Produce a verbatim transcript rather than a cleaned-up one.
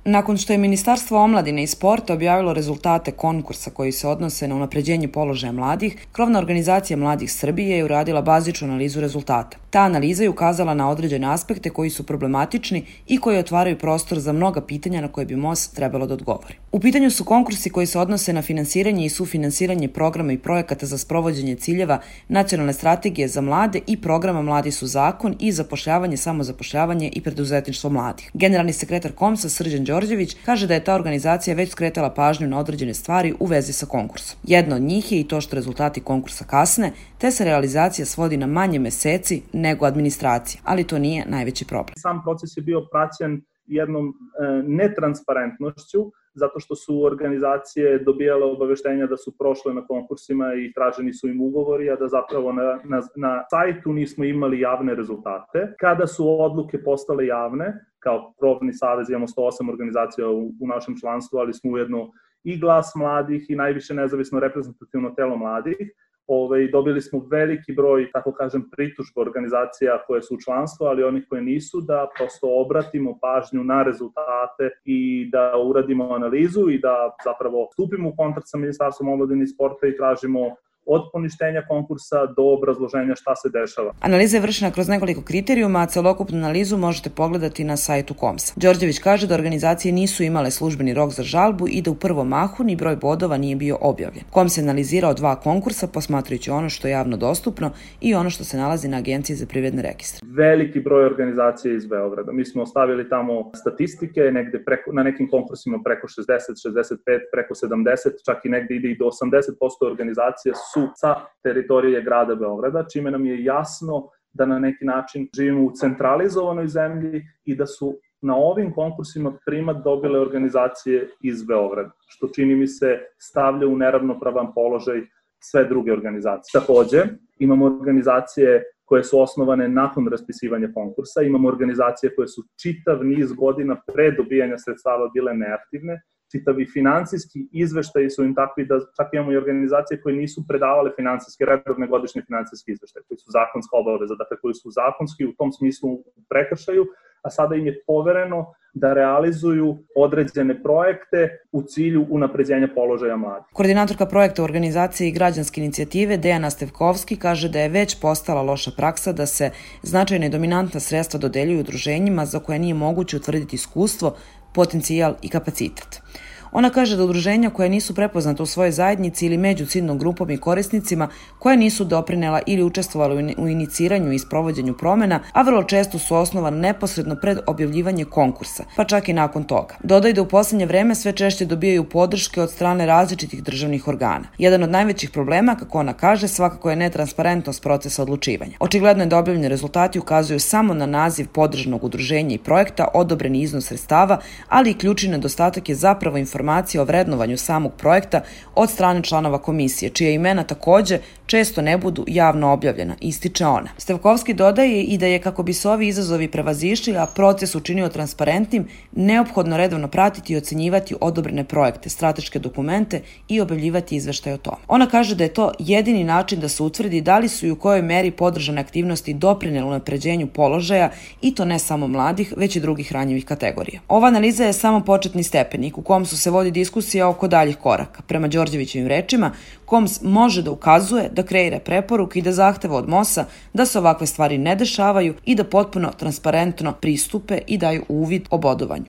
Nakon što je Ministarstvo omladine i sporta objavilo rezultate konkursa koji se odnose na unapređenje položaja mladih, krovna organizacija Mladih Srbije je uradila bazičnu analizu rezultata. Ta analiza je ukazala na određene aspekte koji su problematični i koji otvaraju prostor za mnoga pitanja na koje bi M O S trebalo da odgovori. U pitanju su konkursi koji se odnose na finansiranje i sufinansiranje programa i projekata za sprovođenje ciljeva Nacionalne strategije za mlade i programa Mladi su zakon i zapošljavanje, samozapošljavanje i preduzetništvo mladih. Generalni sekretar K O M S-a Srđan Đorđević kaže da je ta organizacija već skretala pažnju na određene stvari u vezi sa konkursom. Jedna od njih je i to što rezultati konkursa kasne, te se realizacija svodi na manje meseci nego administracija, ali to nije najveći problem. Sam proces je bio praćen jednom e, netransparentnošću, zato što su organizacije dobijale obaveštenja da su prošle na konkursima i traženi su im ugovori, a da zapravo na, na, na sajtu nismo imali javne rezultate. Kada su odluke postale javne, kao krovni savez imamo sto osam organizacija u, u našem članstvu, ali smo ujedno i Glas mladih i najviše nezavisno reprezentativno telo mladih. Ove, dobili smo veliki broj, tako kažem, pritužba organizacija koje su u članstvu, ali onih koje nisu, da prosto obratimo pažnju na rezultate i da uradimo analizu i da zapravo stupimo u kontakt sa Ministarstvom omladine i sporta i tražimo od poništenja konkursa do obrazloženja šta se dešava. Analiza je vršena kroz nekoliko kriterijuma, a celokupnu analizu možete pogledati na sajtu K O M S-a. Đorđević kaže da organizacije nisu imale službeni rok za žalbu i da u prvom mahu ni broj bodova nije bio objavljen. K O M S je analizirao dva konkursa, posmatrajući ono što je javno dostupno i ono što se nalazi na Agenciji za privredne registre. Veliki broj organizacija iz Beograda. Mi smo ostavili tamo statistike, negde preko, na nekim konkursima preko šezdeset, šezdeset pet, preko sedamdeset, čak i negde ide i do osamdeset posto organizacija su sa teritorije grada Beograda, čime nam je jasno da na neki način živimo u centralizovanoj zemlji i da su na ovim konkursima primat dobile organizacije iz Beograda, što čini mi se stavlja u neravnopravan položaj sve druge organizacije. Takođe, imamo organizacije koje su osnovane nakon raspisivanja konkursa, imamo organizacije koje su čitav niz godina pre dobijanja sredstava bile neaktivne, čitavi finansijski izveštaji su im takvi da čak imamo i organizacije koje nisu predavale finansijske, redovne godišnje finansijske izveštaje, koji su zakonska obaveza, dakle koji su zakonski u tom smislu u prekršaju, a sada im je povereno da realizuju određene projekte u cilju unapređenja položaja mladih. Koordinatorka projekta u organizaciji Građanske inicijative Dejana Stevkovski kaže da je već postala loša praksa da se značajne i dominantna sredstva dodeljuju udruženjima za koje nije moguće utvrditi iskustvo, potencijal i kapacitet. Ona kaže da udruženja koja nisu prepoznata u svojoj zajednici ili među ciljnom grupom i korisnicima, koje nisu doprinela ili učestvovala u iniciranju i sprovođenju promena, a vrlo često su osnovane neposredno pred objavljivanje konkursa, pa čak i nakon toga. Dodaj da u poslednje vreme sve češće dobijaju podrške od strane različitih državnih organa. Jedan od najvećih problema, kako ona kaže, svakako je netransparentnost procesa odlučivanja. Očigledno je da objavljeni rezultati ukazuju samo na naziv podržanog udruženja i projekta, odobreni iznos sredstava, ali i ključni nedostatak je zapravo informacija o vrednovanju samog projekta od strane članova komisije, čije imena takođe često ne budu javno objavljena, ističe ona. Stevkovski dodaje i da je, kako bi se ovi izazovi prevazišli, a proces učinio transparentnim, neophodno redovno pratiti i ocenjivati odobrene projekte, strateške dokumente i objavljivati izveštaje o tome. Ona kaže da je to jedini način da se utvrdi da li su i u kojoj meri podržane aktivnosti doprinele unapređenju položaja, i to ne samo mladih, već i drugih ranjivih kategorija. Ova analiza je samo početni stepenik u kom su se vodi diskusija oko daljih koraka. Prema Đorđevićevim rečima, K O M S može da ukazuje, da kreira preporuke i da zahteva od M O S-a da se ovakve stvari ne dešavaju i da potpuno transparentno pristupe i daju uvid o bodovanju.